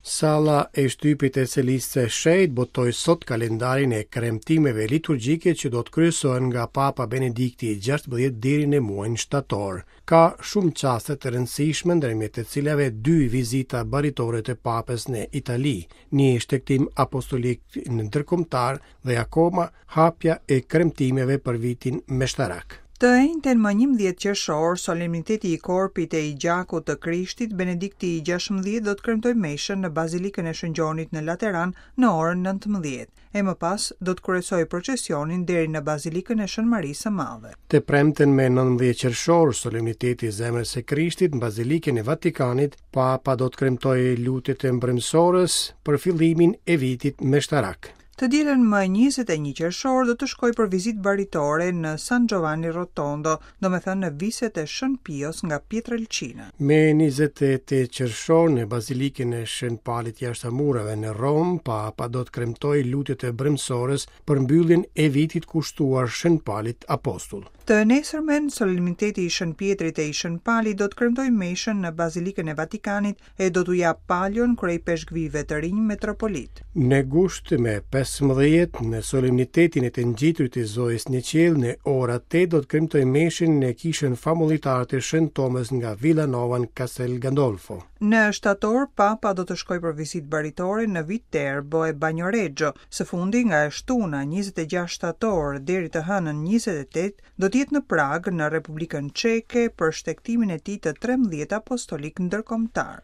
Salla e shtypit e Selisë së Shenjtë botoi sot kalendarin e kremtimeve liturgjike që do të kryesohen nga Papa Benedikti i XVI deri në muajin shtator. Ka shumë çaste të rëndësishme ndërmjet të cilave dy vizita baritore të Papës në Itali, një shtegtim apostolik ndërkombëtar dhe akoma hapja e kremtimeve për vitin meshtarak. Të enjten më 11 qershor, solemniteti i Korpit e i Gjakut të Krishtit, Benedikti i 16 do të kremtojë meshën në Bazilikën e Shën Gjonit në Lateran në orën 19, e më pas do të kryesojë procesionin deri në Bazilikën e Shën Marisë së Madhe. Të premten me 19 qershor, solemniteti i Zemrës së Krishtit në Bazilikën e Vatikanit, Papa do të kremtojë lutjet e mbrëmësores për fillimin e vitit meshtarak. Të dielën më 21 qershor do të shkojë për vizitë baritore në San Giovanni Rotondo, domethënë në viset e Shën Pios nga Pietrelcina. Me 28 qershor në Bazilikën e Shën Palit jashtë mureve në Romë, Papa do të kremtojë lutjet e mbrëmësores për mbylljen e vitit kushtuar Shën Palit Apostull. Të nesërmen, solemniteti i Shën Pjetrit e i Shën Palit do të kremtojë meshën në Bazilikën e Vatikanit e do t'u japë palion kryeipeshkvijve të rinj metropolit. Në gusht me 15, në solemnitetin e të ngjiturit të Zojës në qiell, në ora 8 do të kremtojë meshën në kishën famullitare të Shën Tomës nga Villanova në Castel Gandolfo. Në shtator, Papa do të shkojë për vizitë baritore në Viterbo e Bagnoregio. Së fundi, nga e shtuna 26 shtator deri të hënën 28, do të jetë në Pragë, në Republikën Çeke, për shtegtimin e tij të 13 apostolik ndërkombëtar.